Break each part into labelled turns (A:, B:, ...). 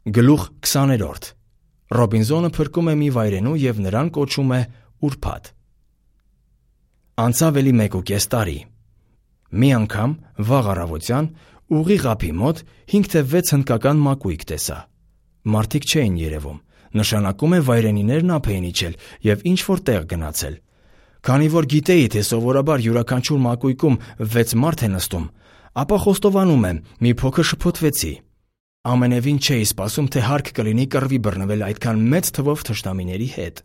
A: Գլուխ 20-րդ Ռոբինզոնը փրկում է մի վայրենու և նրան կոչում է ուրբաթ։ Անցավ էլի 1.5 տարի։ Մի անգամ, վաղ առավոտյան, ուղիղ ափի մոտ 5 թե 6 հնդկական մակույկ տեսա։ Մարդիկ չէին երևում, նշանակում է վայրենիներն ափ էին իջել և ինչ-որ տեղ գնացել։ Քանի որ գիտեի, թե սովորաբար յուրաքանչյուր մակույկում 6 մարդ է նստում, ապա խոստովանում եմ, մի փոքր շփոթվեցի։ Ամենևին չէի սպասում, թե հարկ կլինի կռվի բռնվել այդքան մեծ թվով թշնամիների հետ։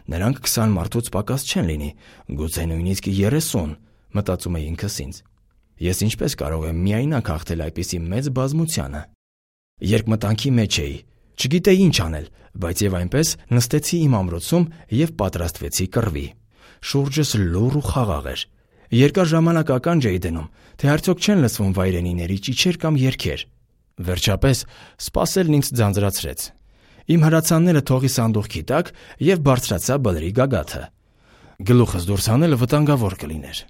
A: Նրանք 20 մարդուց պակաս չեն լինի, գուցե նույնիսկ 30, մտածում էի ինքս ինձ։ Ես ինչպես կարող եմ միայնակ հաղթել այդպիսի մեծ բազմությանը։ Երկմտանքի մեջ էի, չգիտեի ինչ անել, բայց եւ այնպես նստեցի իմ ամրոցում եւ պատրաստվեցի կռվի։ Շուրջս լուռ ու խաղաղ էր։ Երկար ժամանակ ականջ էի դնում, թե արդյոք չեն լսվում վայրենիների ճիչեր կամ երգեր։ Վերջապես սպասելն ինձ ձանձրացրեց։ Իմ հրացանները թողի սանդուղքի տակ և բարձրացա բլրի գագաթը։ Գլուխս դուրս հանելը վտանգավոր կլիներ։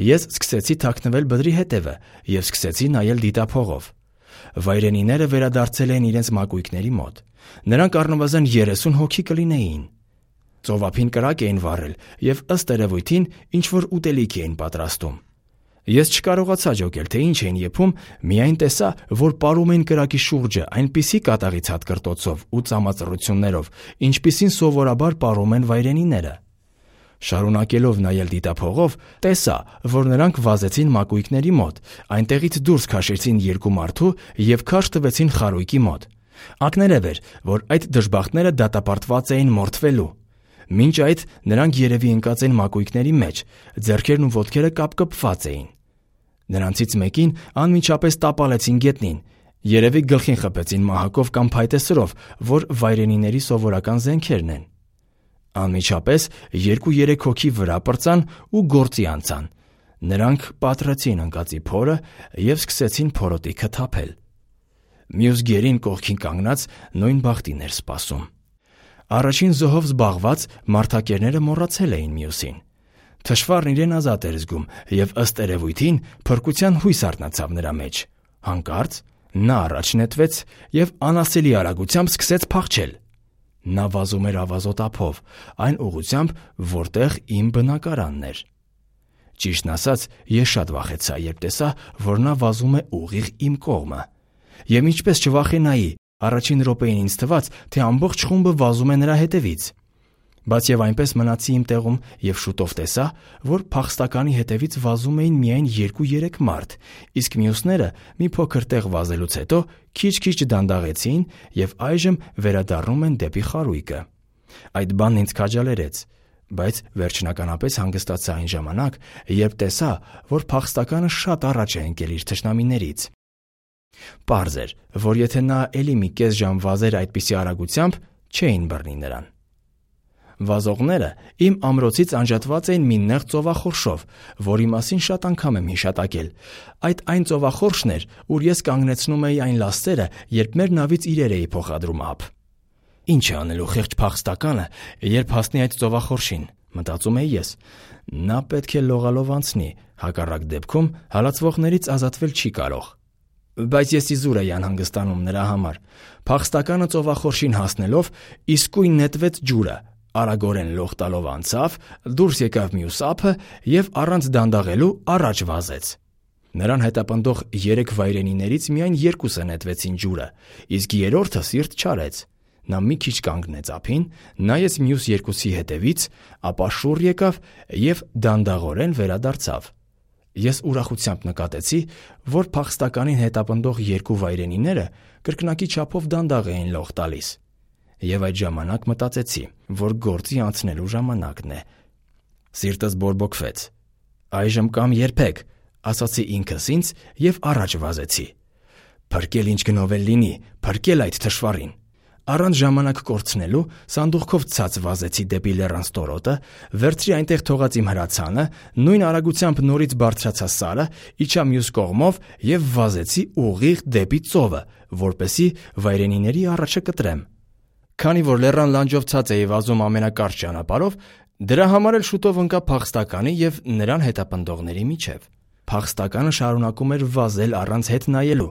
A: Ես սկսեցի թաքնվել բլրի հետևը և սկսեցի նայել դիտափողով։ Վայրենիները վերադարձել էին իրենց մակույկների մոտ։ Նրանք առնվազն 30 հոգի կլինեին։ Ծովափին կրակ էին վառել և ըստ երևույթին ինչ-որ ուտելիք էին պատրաստում։ Ես չկարողացա ջոկել, թե ինչ էին եփում, միայն տեսա, որ պարում էին կրակի շուրջը այնպիսի կատաղի ցատկրտոցով ու ծամածռություններով, ինչպիսին սովորաբար պարում են վայրենիները։ Շարունակելով նայել դիտափողով, տեսա, որ նրանք վազեցին մակույկների մոտ, այնտեղից դուրս քաշեցին 2 մարդու և քարշ տվեցին խարույկի մոտ։ Ակներև էր, որ այդ դժբախտները դատապարտված էին մորթվելու։ Մինչ այդ նրանք երևի ընկած են մակույկների մեջ, ձեռքերն ու ոտքերը կապկպված էին։ Նրանցից մեկին անմիջապես տապալեցին գետնին, երևի գլխին խփեցին մահակով կամ փայտեսրով, որ վայրենիների սովորական զենքերն են։ Անմիջապես 2-3 հոգի վրա պրծան ու գործի անցան։ Նրանք պատռեցին ընկածի փորը և սկսեցին փորոտիքը թափել։ Մյուս գերին կողքին կանգնած նույն բախտին էր սպասում։ Առաջին զոհով զբաղված մարդակերները մոռացել էին մյուսին։ Թշվառն իրեն ազատ էր զգում և ըստ երևույթին փրկության հույս արթնացավ նրա մեջ։ Հանկարծ նա առաջ նետվեց և անասելի արագությամբ սկսեց փախչել։ Նա վազում էր ավազոտ ափով, այն ուղղությամբ, որտեղ իմ բնակարանն էր։ Ճիշտն ասած, ես շատ վախեցա, երբ տեսա, որ նա վազում է ուղիղ իմ կողմը։ Եվ ինչպես չվախենայի, առաջին րոպեին ինձ թվաց, թե ամբողջ խումբը վազում է նրա հետևից։ Բայց եւ այնպես մնացի իմ տեղում եւ շուտով տեսա, որ փախստականի հետևից վազում էին միայն 2-3 մարդ, իսկ մյուսները մի փոքր տեղ վազելուց հետո քիչ-քիչ դանդաղեցին եւ այժմ վերադառնում են դեպի խարույկը։ Այդ բանն ինձ քաջալերեց, բայց վերջնականապես հանգստացա այն ժամանակ, երբ տեսա, որ փախստականը շատ առաջ է ընկել իր թշնամիներից։ Պարզ էր, որ եթե նա էլի մի կես ժամ վազեր այդպիսի արագությամբ, չէին բռնի նրան։ Վազողները իմ ամրոցից անջատված էին մի նեղ ծովախորշով, որի մասին շատ անգամ եմ հիշատակել։ Այդ այն ծովախորշն էր, ուր ես կանգնեցնում էի այն լաստերը, երբ մեր նավից իրեր էի փոխադրում ափ։ Ինչ է անելու խեղճ փախստականը, երբ հասնի այդ ծովախորշին, մտածում էի ես։ Նա պետք է լողալով անցնի, հակառակ դեպքում հալածվողներից ազատվել չի կարող։ Բայց ես իզուր էի անհանգստանում նրա համար։ Փախստականը ծովախորշին հասնելով իսկույն նետվեց ջուրը, արագորեն լող տալով անցավ, դուրս եկավ մյուս ափը և առանց դանդաղելու առաջ վազեց։ Նրան հետապնդող 3 վայրենիներից միայն 2-ը նետվեցին ջուրը, իսկ 3-րդը սիրտ չարեց։ Նա մի քիչ կանգնեց ափին, նայեց մյուս 2-ի հետևից, ապա շուռ եկավ և դանդաղորեն վերադարձավ։ Ես ուրախությամբ նկատեցի, որ փախստականին հետապնդող 2 վայրենիները կրկնակի չափով դանդաղ էին լող տալիս։ Եվ այդ ժամանակ մտածեցի, որ գործի անցնելու ժամանակն է։ Սիրտս բորբոքվեց։ Այժմ կամ երբեք, ասացի ինքս ինձ և առաջ վազեցի։ Փրկել ինչ գնով էլ լինի, փրկել այդ թշվառին։ Առանց ժամանակ կորցնելու սանդուղքով ցած վազեցի դեպի լեռան ստորոտը, վերցրի այնտեղ թողած իմ հրացանը, նույն արագությամբ նորից բարձրացա սարը, իջա մյուս կողմով և վազեցի ուղիղ դեպի ծովը, որպեսզի վայրենիների առաջը կտրեմ։ Քանի որ լեռան լանջով ցած էի վազում ամենակարճ ճանապարհով, դրա համար էլ շուտով ընկա փախստականի և նրան հետապնդողների միջև։ Փախստականը շարունակում էր վազել առանց հետ նայելու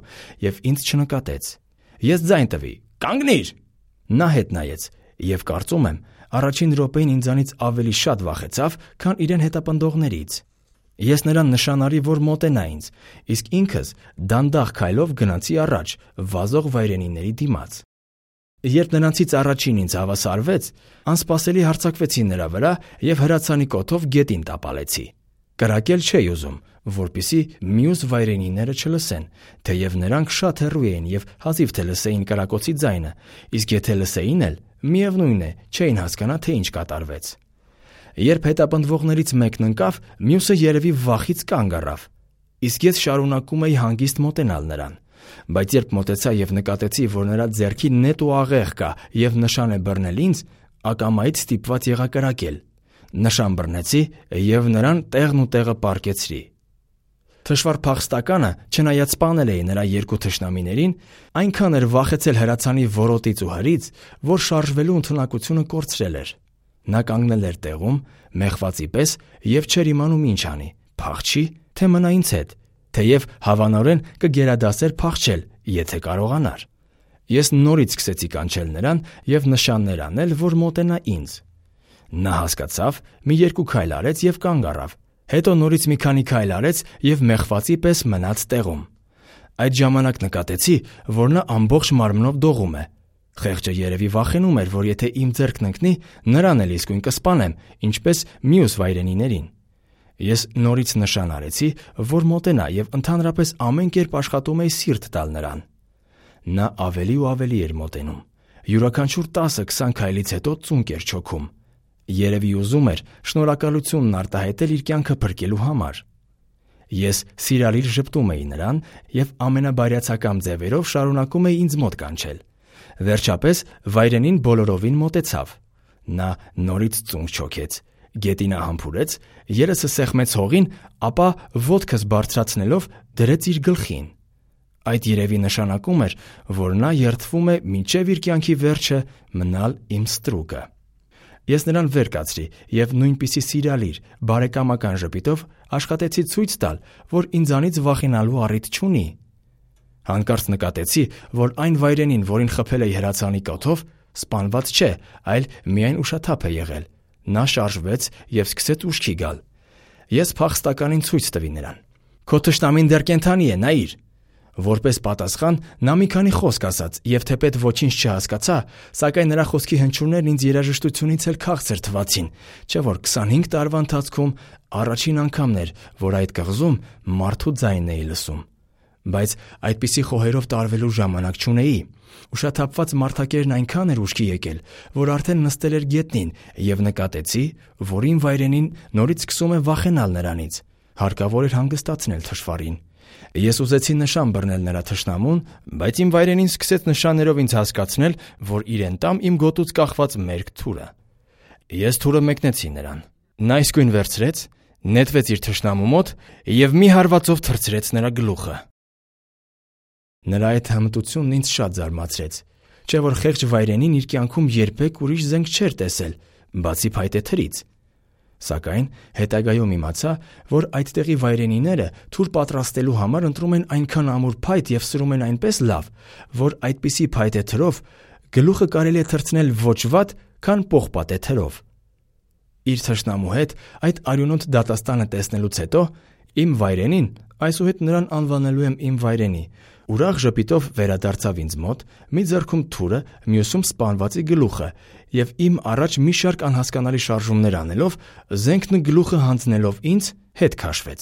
A: և ինձ չնկատեց։ Ես ձայն տվի. «Կանգնիր»։ Նա հետ նայեց եւ կարծում եմ, առաջին րոպեին ինձանից ավելի շատ վախեցավ, քան իրեն հետապնդողներից։ Ես նրան նշանարի, որ մոտենա ինձ, իսկ ինքս դանդաղ քայլով գնացի առաջ, վազող վայրենիների դիմաց։ Երբ նրանցից առաջին ինձ հավասարվեց, անսպասելի հարձակվեցի նրա վրա եւ հրացանի կոթով գետին տապալեցի։ Կրակել չէի ուզում, որպեսզի մյուս վայրենիները չլսեն, թեև նրանք շատ հեռու էին եւ հազիվ թե լսեին կրակոցի ձայնը, իսկ եթե լսեին էլ, միևնույն է, չէին հասկանա, թե ինչ կատարվեց։ Երբ հետապնդվողներից մեկն ընկավ, մյուսը երևի վախից կանգ առավ, իսկ ես շարունակում էի հանգիստ մոտենալ նրան։ Բայց երբ մոտեցա եւ նկատեցի, որ նրա ձեռքի նետ ու աղեղ կա եւ նշան է բռնել ինձ, ակամայից ստիպված եղա կրակել։ Նշան բռնեցի եւ նրան տեղն ու տեղը պառկեցրի։ Թշվառ փախստականը, չնայած սպանել էի նրա երկու թշնամիներին, այնքան էր վախեցել հրացանի որոտից ու հրից, որ շարժվելու ընդունակությունը կորցրել էր։ Նա կանգնել էր տեղում, մեղվածի պես եւ չէր իմանում ինչ անի՝ փախչի, թե մնա ինձ հետ, թեև հավանորեն կգերադասեր փախչել, եթե կարողանար։ Ես նորից սկսեցի կանչել նրան եւ նշաններ անել, որ մոտենա ինձ։ Նա հասկացավ, մի երկու քայլ արեց եւ կանգ առավ, հետո նորից մի քանի քայլ արեց եւ մեղվածի պես մնաց տեղում։ Այդ ժամանակ նկատեցի, որ նա ամբողջ մարմնով դողում է։ Խեղճը երևի վախենում էր, որ եթե իմ ձեռքն ընկնի, նրան էլ իսկույն կսպանեմ, ինչպես մյուս վայրենիներին։ Ես նորից նշան արեցի, որ մոտենա եւ ընդհանրապես ամեն կերպ աշխատում էի սիրտ տալ նրան։ Նա ավելի ու ավելի էր մոտենում։ Յուրաքանչյուր 10-20 քայլից հետո ծունկ էր չոքում։ Երևի ուզում էր շնորհակալությունն արտահայտել իր կյանքը փրկելու համար։ Ես սիրալիր ժպտում էի նրան եւ ամենաբարյացակամ ձևերով շարունակում էի ինձ մոտ կանչել։ Վերջապես վայրենին բոլորովին մոտեցավ։ Նա նորից ծունկ չոքեց, գետինը համբուրեց, երեսը սեղմեց հողին, ապա ոտքս բարձրացնելով դրեց իր գլխին։ Այդ երևի նշանակում էր, որ նա երդվում է մինչև իր կյանքի վերջը մնալ իմ ստրուկը։ Ես նրան վեր կացրի եւ նույնպիսի սիրալիր, բարեկամական ժպիտով աշխատեցի ցույց տալ, որ ինձանից վախենալու առիթ չունի։ Հանկարծ նկատեցի, որ այն վայրենին, որին խփել էի հրացանի կոթով, սպանված չէ, այլ միայն ուշաթափ է եղել։ Նա շարժվեց եւ սկսեց ուշքի գալ։ Ես փախստականին ցույց տվի նրան։ Քո թշնամին դեռ կենդանի է, նայիր։ Որպես պատասխան նա մի քանի խոսք ասաց եւ թեպետ ոչինչ չհասկացա, սակայն նրա խոսքի հնչյուններն ինձ երաժշտությունից էլ քաղցր թվացին, չէ՞ որ 25 տարվա ընթացքում առաջին անգամն էր, որ այդ կղզում մարդու ձայնն էի լսում։ Բայց այդպիսի խոհերով տարվելու ժամանակ չունեի։ Ուշաթափված մարդակերն այնքան էր ուշքի եկել, որ արդեն նստել էր գետնին եւ նկատեցի, որ իմ վայրենին նորից սկսում է վախենալ նրանից։ Հարկավոր էր հանգստացնել թշվառին։ Ես ուզեցի նշան բռնել նրա թշնամուն, բայց իմ վայրենին սկսեց նշաններով ինձ հասկացնել, որ իրեն տամ իմ գոտուց կախված մերկ թուրը։ Ես թուրը մեկնեցի նրան։ Նա իսկույն վերցրեց, նետվեց իր թշնամու մոտ եւ մի հարվածով թռցրեց նրա գլուխը։ Նրա այդ հմտությունն ինձ շատ զարմացրեց, չէ՞ որ խեղճ վայրենին իր կյանքում երբեք ուրիշ զենք չէր տեսել, բացի փայտե թրից։ Սակայն հետագայում իմացա, որ այդտեղի վայրենիները թուր պատրաստելու համար ընտրում են այնքան ամուր փայտ եւ սրում են այնպես լավ, որ այդպիսի փայտե թրով գլուխը կարելի է թռցնել ոչ վատ, քան պողպատե թրով։ Իր թշնամու հետ այդ արյունոտ դատաստանը տեսնելուց հետո իմ վայրենին, այսուհետ նրան անվանելու եմ իմ վայրենի, ուրախ ժպիտով վերադարձավ ինձ մոտ, մի ձեռքում թուրը, մյուսում սպանվածի գլուխը եւ իմ առաջ մի շարք անհասկանալի շարժումներ անելով, զենքն գլուխը հանձնելով ինձ հետ քաշվեց։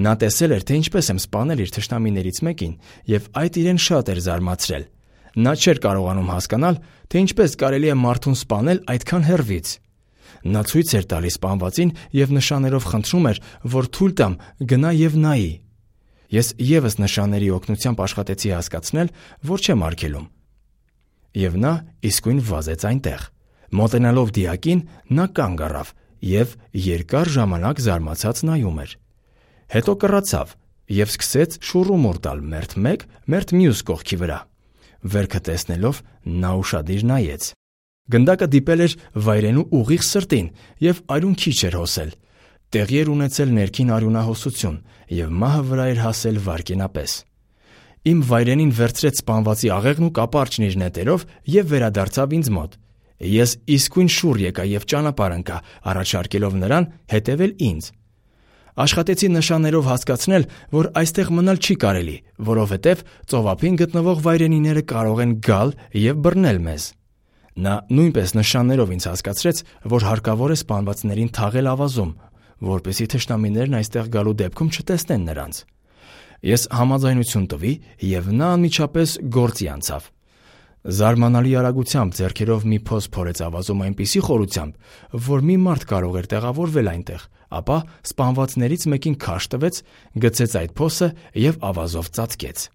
A: Նա տեսել էր, թե ինչպես եմ սպանել իր թշնամիներից մեկին եւ այդ իրեն շատ էր զարմացրել։ Նա չէր կարողանում հասկանալ, թե ինչպես կարելի է մարդուն սպանել այդքան հեռվից։ Նա ցույց էր տալիս սպանվածին եւ նշաններով խնդրում էր, որ թույլ տամ գնա եւ նայի։ Ես եւս նշանների օգնությամբ աշխատեցի հասկացնել, որ չեմ արգելում։ Եվ նա իսկույն վազեց այնտեղ։ Մոտենալով դիակին, նա կանգ առավ եւ երկար ժամանակ զարմացած նայում էր։ Հետո կռացավ եւ սկսեց շուռումուռ տալ մերթ մեկ, մերթ մյուս կողքի վրա։ Վերքը տեսնելով նա ուշադիր նայեց։ Գնդակը դիպել էր վայրենու ուղիղ սրտին եւ արյուն քիչ էր հոսել։ Տեղի էր ունեցել ներքին արյունահոսություն եւ մահը վրա էր հասել վարկենապես։ Իմ վայրենին վերցրեց սպանվածի աղեղն ու կապարճն իր նետերով և վերադարձավ ինձ մոտ։ Ես իսկույն շուռ եկա և ճանապարհ ընկա, առաջարկելով նրան հետևել ինձ։ Աշխատեցի նշաններով հասկացնել, որ այստեղ մնալ չի կարելի, որովհետև ծովափին գտնվող վայրենիները կարող են գալ և բռնել մեզ։ Նա նույնպես նշաններով ինձ հասկացրեց, որ հարկավոր է սպանվածներին թաղել ավազում, որպեսզի թշնամիներն այստեղ գալու դեպքում չտեսնեն նրանց։ Ես համաձայնություն տվի, և նա անմիջապես գործի անցավ։ Զարմանալի արագությամբ ձեռքերով մի փոս փորեց ավազում այնպիսի խորությամբ, որ մի մարդ կարող էր տեղավորվել այնտեղ, ապա սպանվածներից մեկին քարշ տվեց, գցեց այդ փոսը և ավազով ծածկեց։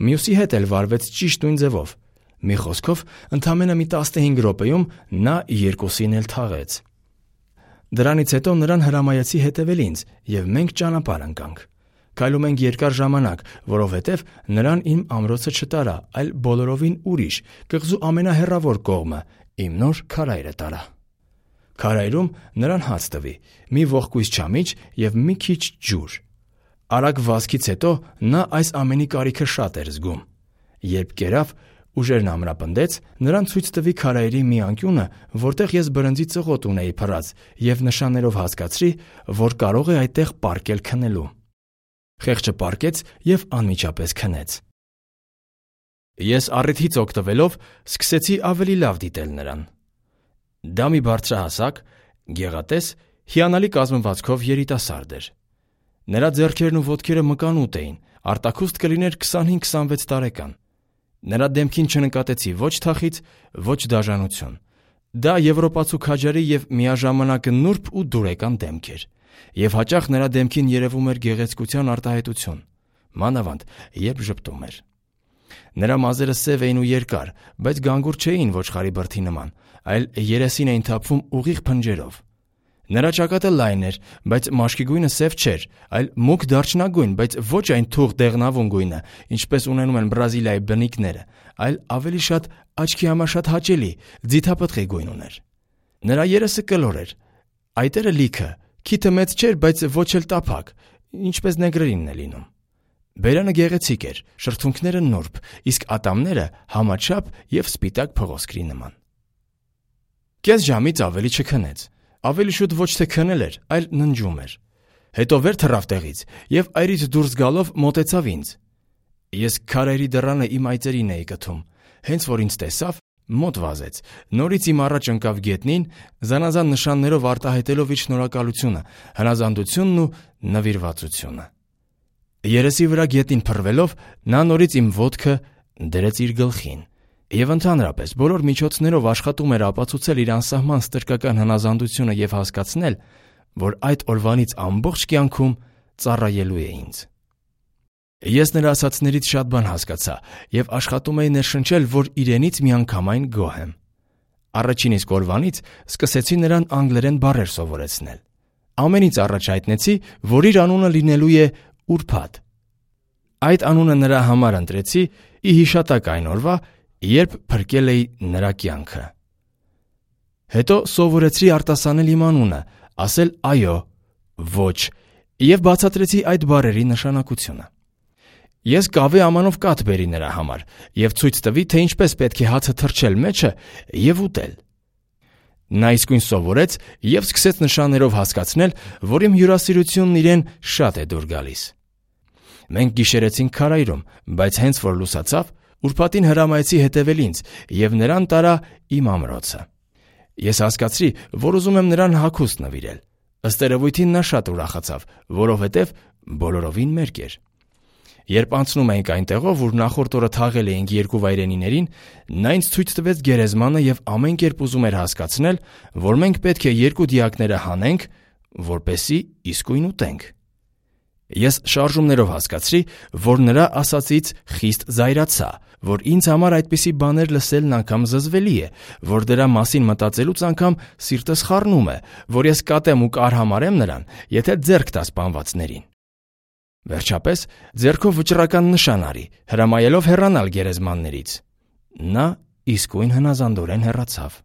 A: Մյուսի հետ էլ վարվեց ճիշտ նույն ձևով։ Մի խոսքով, ընդամենը մի 15 րոպեում նա երկուսին էլ թաղեց։ Դրանից հետո նրան հրամայեցի հետևել ինձ, և մենք ճանապարհ ընկանք։ Քայլում ենք երկար ժամանակ, որովհետև նրան իմ ամրոցը չտարա, այլ բոլորովին ուրիշ, կղզու ամենահեռավոր կողմը, իմ նոր քարայրը տարա։ Քարայրում նրան հաց տվի, մի ողկույզ չամիչ և մի քիչ ջուր։ Արագ վազքից հետո նա այս ամենի կարիքը շատ էր զգում։ Երբ կերավ, ուժերն ամրապնդեց, նրան ցույց տվի քարայրի մի անկյունը, որտեղ ես բրնձի ծղոտ ունեի փռած, և նշաններով հասկացրի, որ կարող է այդտեղ պառկել քնելու։ Խեղճը պառկեց և անմիջապես քնեց։ Ես առիթից օգտվելով սկսեցի ավելի լավ դիտել նրան։ Դա մի բարձրահասակ, գեղատես, հիանալի կազմվածքով երիտասարդ էր։ Նրա ձեռքերն ու ոտքերը մկանուտ էին, արտաքուստ կլիներ 25-26 տարեկան։ Նրա դեմքին չնկատեցի ոչ թախիծ, ոչ դաժանություն։ Դա եվրոպացու քաջարի և միաժամանակ նուրբ ու դուրեկան դեմք էր, և հաճախ նրա դեմքին երևում էր գեղեցկության արտահայտություն, մանավանդ երբ ժպտում էր։ Նրա մազերը սև էին ու երկար, բայց գանգուր չէին ոչխարի բրդի նման, այլ երեսին էին թափվում ուղիղ փնջերով։ Նրա ճակատը լայն էր, բայց մաշկի գույնը սև չէր, այլ մուգ դարչնագույն, բայց ոչ այն թուղ դեղնավուն գույնը, ինչպես ունենում են Բրազիլիայի բնիկները, այլ ավելի շատ աչքի համար շատ հաճելի, ձիթապտղի գույն ուներ։ Նրա երեսը կլոր էր, այտերը լիքը, քիթը մեծ չէր, բայց ոչ էլ տափակ, ինչպես նեգրերինն է լինում։ Բերանը գեղեցիկ էր, շրթունքները նուրբ, իսկ ատամները համաչափ և սպիտակ փղոսկրի նման։ Կես ժամից ավելի չքնեց, ավելի շուտ ոչ թե քնել էր, այլ ննջում էր։ Հետո վեր թռավ տեղից և այրից դուրս գալով մոտեցավ ինձ։ Ես քարայրի դռանը իմ այծերին էի կթում, հենց որ ինձ տեսավ, մոտ վազեց, նորից իմ առաջ ընկավ գետնին, զանազան նշաններով արտահայտելով իր շնորհակալությունը, հնազանդությունն ու նվիրվածությունը։ Երեսի վրա գետնին փռվելով, նա նորից իմ ոտքը դրեց իր գլխին և ընդհանրապես բոլոր միջոցներով աշխատում էր ապացուցել իր անսահման ստրկական հնազանդությունը և հասկացնել, որ այդ օրվանից ամբողջ կյանքում ծառայելու է ինձ։ Ես նրա ասածներից շատ բան հասկացա և աշխատում էի ներշնչել, որ իրենից միանգամայն գոհ եմ։ Առաջին իսկ օրվանից սկսեցի նրան անգլերեն բառեր սովորեցնել։ Ամենից առաջ հայտնեցի, որ իր անունը լինելու է Ուրբաթ։ Այդ անունը նրա համար ընտրեցի ի հիշատակ այն օրվա, երբ փրկել էի նրա կյանքը։ Հետո սովորեցրի արտասանել իմ անունը, ասել այո, ոչ և բացատրեցի այդ բառերի նշանակությունը։ Ես կավե ամանով կաթ բերի նրա համար և ցույց տվի, թե ինչպես պետք է հացը թռչել մեջը և ուտել։ Նա իսկույն սովորեց և սկսեց նշաններով հասկացնել, որ իմ հյուրասիրությունն իրեն շատ է դուր գալիս։ Մենք գիշերեցինք քարայրում, բայց հենց որ լուսացավ, Ուրբաթին հրամայեցի հետևել ինձ և նրան տարա իմ ամրոցը։ Ես հասկացրի, որ ուզում եմ նրան հագուստ նվիրել։ Ըստ երևույթին նա շատ ուրախացավ, որովհետև բոլորովին մերկ էր։ Երբ անցնում էինք այնտեղով, ուր նախորդ օրը թաղել էինք երկու վայրենիներին, նա ինձ ցույց տվեց գերեզմանը և ամեն կերպ ուզում էր հասկացնել, որ մենք պետք է երկու դիակները հանենք, որպեսզի իսկույն ուտենք։ Ես շարժումներով հասկացրի, որ նրա ասածից խիստ զայրացա, որ ինձ համար այդպիսի բաներ լսելն անգամ զզվելի է, որ դրա մասին մտածելուց անգամ սիրտս խառնում է, որ ես կատեմ ու կարհամարեմ նրան, եթե ձեռք տա սպանվածներին։ Վերջապես ձեռքով վճռական նշան արի, հրամայելով հեռանալ գերեզմաններից։ Նա իսկույն հնազանդորեն հեռացավ։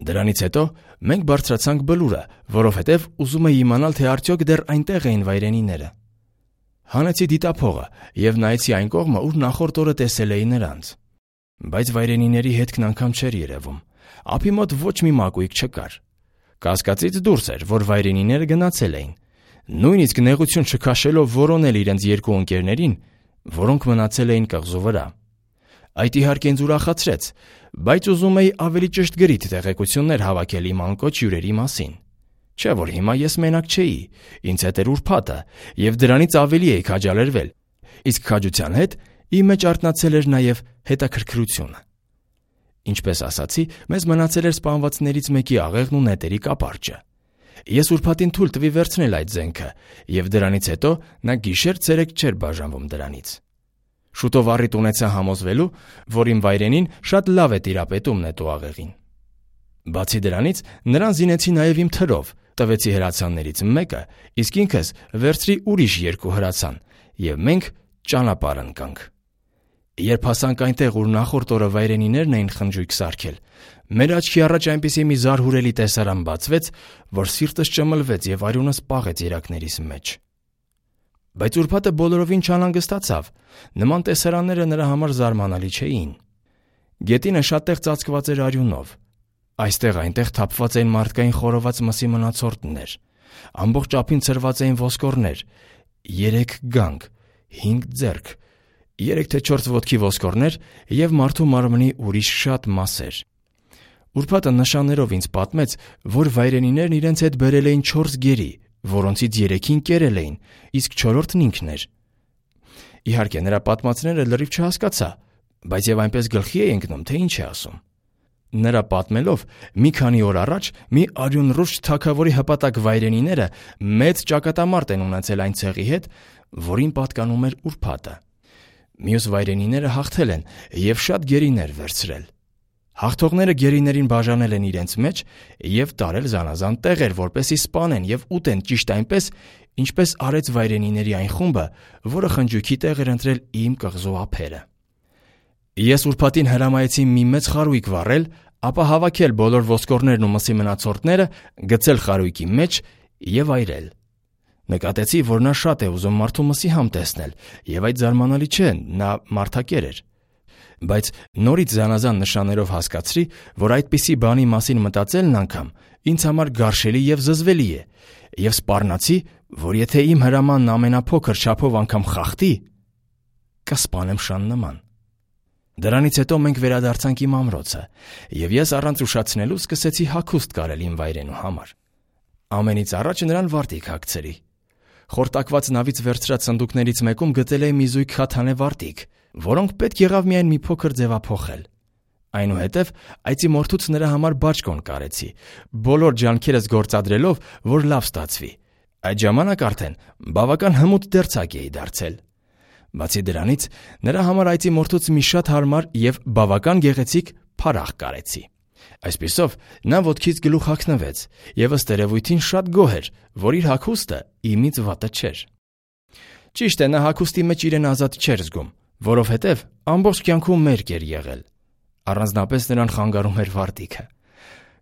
A: Դրանից հետո մենք բարձրացանք բլուրը, որովհետև ուզում էի իմանալ, թե արդյոք դեռ այնտեղ էին վայրենիները։ Հանեցի դիտափողը եւ նայեցի այն կողմը, ուր նախորդ օրը տեսել էի նրանց։ Բայց վայրենիների հետքն անգամ չէր երևում։ Ափի մոտ ոչ մի մակույկ չկար։ Կասկածից դուրս էր, որ վայրենիները գնացել էին, նույնիսկ նեղություն չքաշելով որոնել իրենց երկու ընկերներին, որոնք մնացել էին կղզու վրա։ Այդ իհարկե ինձ ուրախացրեց, բայց ուզում էի ավելի ճշգրիտ տեղեկություններ հավաքել իմ անկոչ հյուրերի մասին։ Չէ՞ որ հիմա ես մենակ չէի, ինձ հետ էր ուրբաթը, եւ դրանից ավելի էի քաջալերվել, իսկ քաջության հետ իմ մեջ արթնացել էր նաեւ հետաքրքրությունը։ Ինչպես ասացի, մեզ մնացել էր սպանվածներից մեկի աղեղն ու նետերի կապարճը։ Ես ուրբաթին թույլ տվի վերցնել այդ զենքը, եւ դրանից հետո նա գիշեր-ցերեկ չէր բաժանվում դրանից։ Շուտով առիթ ունեցա համոզվելու, որ իմ վայրենին շատ լավ է տիրապետում նետու աղեղին։ Բացի դրանից, նրան զինեցի նաեւ իմ թրով, տվեցի հրացաններից մեկը, իսկ ինքս վերցրի ուրիշ երկու հրացան, եւ մենք ճանապարհ ընկանք։ Երբ հասանք այնտեղ, ուր նախորդ օրը վայրենիներն էին խնջույք սարքել, մեր աչքի առաջ այնպիսի մի զարհուրելի տեսարան բացվեց, որ սիրտս ճմլվեց եւ արյունս պաղեց երակներիս մեջ։ Բայց ուրբաթը բոլորովին չանհանգստացավ, նման տեսարանները նրա համար զարմանալի չէին։ Գետինը շատ տեղ ծածկված էր արյունով։ Այստեղ-այնտեղ թափված էին մարդկային խորոված մսի մնացորդներ, ամբողջ ափին ցրված էին ոսկորներ, 3 գանք, 5 ձեռք, 3 թե 4 ոտքի ոսկորներ եւ մարդու մարմնի ուրիշ շատ մասեր։ Ուրբաթը նշաններով ինձ պատմեց, որ վայրենիներն իրենց հետ բերել էին 4 գերի, որոնցից 3-ին կերել էին, իսկ 4-ն ինքն էր։ Իհարկե նրա պատմածները լրիվ չհասկացա, բայց եւ այնպես գլխի էի ընկնում, թե ինչ է ասում։ Նրա պատմելով, մի քանի օր առաջ մի արյունռուշ թագավորի հպատակ վայրենիները մեծ ճակատամարտ են ունեցել այն ցեղի հետ, որին պատկանում էր ուրբաթը։ Մյուս վայրենիները հաղթել են եւ շատ գերիներ վերցրել։ Հաղթողները գերիներին բաժանել են իրենց մեջ եւ տարել զանազան տեղեր, որպեսզի սպանեն եւ ուտեն ճիշտ այնպես, ինչպես արեց վայրենիների այն խումբը, որը խնջույքի տեղ էր ընտրել իմ կղզու ափերը։ Ես ուրբաթին հրամայեցի մի մեծ խարույկ վառել, ապա հավաքել բոլոր ոսկորներն ու մսի մնացորդները, գցել խարույկի մեջ եւ այրել։ Նկատեցի, որ նա շատ է ուզում մարդու մսի համ տեսնել, եւ այդ զարմանալի չէ, նա մարդակեր էր։ Բայց նորից զանազան նշաններով հասկացրի, որ այդպիսի բանի մասին մտածելն անգամ ինձ համար գարշելի եւ զզվելի է, եւ սպառնացի, որ եթե իմ հրամանն ամենափոքր չափով անգամ խախտի, կսպանեմ շան նման։ Դրանից հետո մենք վերադարձանք իմ ամրոցը, եւ ես առանց ուշացնելու սկսեցի հագուստ կարել իմ վայրենու համար։ Ամենից առաջ նրան վարտիք հագցրի։ Խորտակված նավից վերցրած սնդուկներից մեկում գտել էի մի զույգ խաթանե վարտիք, որոնք պետք եղավ միայն մի փոքր ձևափոխել։ Այնուհետև այծի մորթուց նրա համար բաճկոն կարեցի, բոլոր ջանքերս գործադրելով, որ լավ ստացվի։ Այդ ժամանակ արդեն բավական հմուտ դերձակ էի դարձել։ Բացի դրանից, նրա համար այծի մորթուց մի շատ հարմար եւ բավական գեղեցիկ փարախ կարեցի։ Այսպիսով, նա ոտքից գլուխ հագնվեց եւ ըստ երևույթին շատ գոհ էր, որ իր հագուստը իմից վատը չէր։ Ճիշտ է, նա հագուստի մեջ իրեն ազատ չէր զգում, որովհետեւ ամբողջ կյանքում մերկ էր եղել։ Առանձնապես նրան խանգարում էր վարտիքը։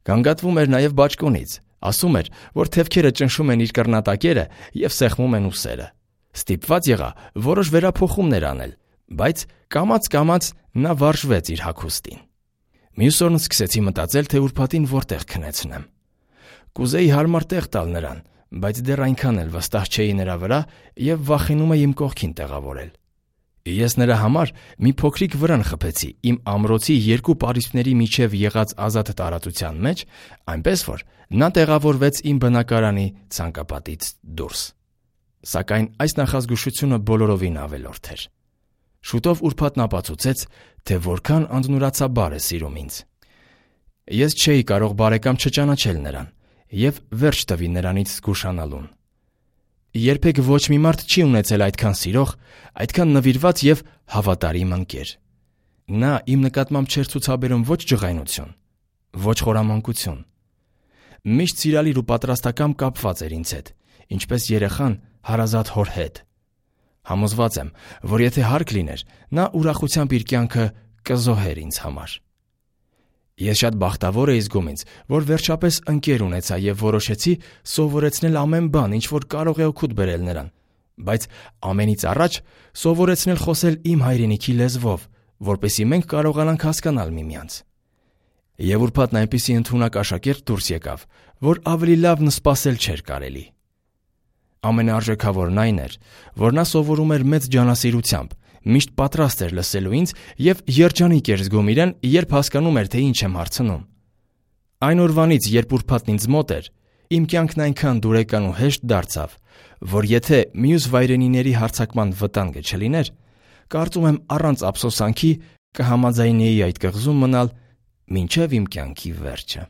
A: Գանգատվում էր նաեւ բաճկոնից, ասում էր, որ թևքերը ճնշում են իր կռնատակերը եւ սեղմում են ուսերը։ Ստիպված եղա որոշ վերափոխումներ անել, բայց կամաց-կամաց նա վարժվեց իր հագուստին։ Մյուս օրն սկսեցի մտածել, թե ուրբաթին որտեղ քնեցնեմ։ Կուզեի հարմար տեղ տալ նրան, բայց դեռ այնքան էլ վստահ չէի նրա վրա եւ վախենում էի իմ կողքին տեղավորել։ Ես նրա համար մի փոքրիկ վրան խփեցի իմ ամրոցի երկու պարիսպների միջև եղած ազատ տարածության մեջ, այնպես որ նա տեղավորվեց իմ բնակարանի ցանկապատից դուրս։ Սակայն այս նախազգուշությունը բոլորովին ավելորդ էր։ Շուտով ուրբաթն ապացուցեց, թե որքան անձնուրացաբար է սիրում ինձ։ Ես չէի կարող բարեկամ չճանաչել նրան եւ վերջ տվի նրանից զգուշանալուն։ Երբեք ոչ մի մարդ չի ունեցել այդքան սիրող, այդքան նվիրված եւ հավատարիմ ընկեր։ Նա իմ նկատմամբ չէր ցուցաբերում ոչ ջղայնություն, ոչ խորամանկություն։ Միշտ սիրալիր ու պատրաստակամ կապված էր ինձ հետ, ինչպես երեխան հարազատ հոր հետ։ Համոզված եմ, որ եթե հարկ լիներ, նա ուրախությամբ իր կյանքը կզոհեր ինձ համար։ Ես շատ բախտավոր էի զգում ինձ, որ վերջապես ընկեր ունեցա եւ որոշեցի սովորեցնել ամեն բան, ինչ որ կարող է օգուտ բերել նրան, բայց ամենից առաջ սովորեցնել խոսել իմ հայրենիքի լեզվով, որպեսզի մենք կարողանանք հասկանալ միմյանց։ Եվ ուրբաթն այնպիսի ընդունակ աշակերտ դուրս եկավ, որ ավելի լավն սպասել չէր կարելի։ Ամենաարժեքավորն այն էր, որ նա սովորում էր մեծ ջանասիրությամբ, միշտ պատրաստ էր լսելու ինձ և երջանիկ էր զգում իրեն, երբ հասկանում էր, թե ինչ եմ հարցնում։ Այն օրվանից, երբ ուրբաթն ինձ մոտ էր, իմ կյանքն այնքան դուրեկան ու հեշտ դարձավ, որ եթե մյուս վայրենիների հարձակման վտանգը չլիներ, կարծում եմ առանց ափսոսանքի կհամաձայնեի այդ կղզում մնալ մինչև իմ կյանքի վերջը։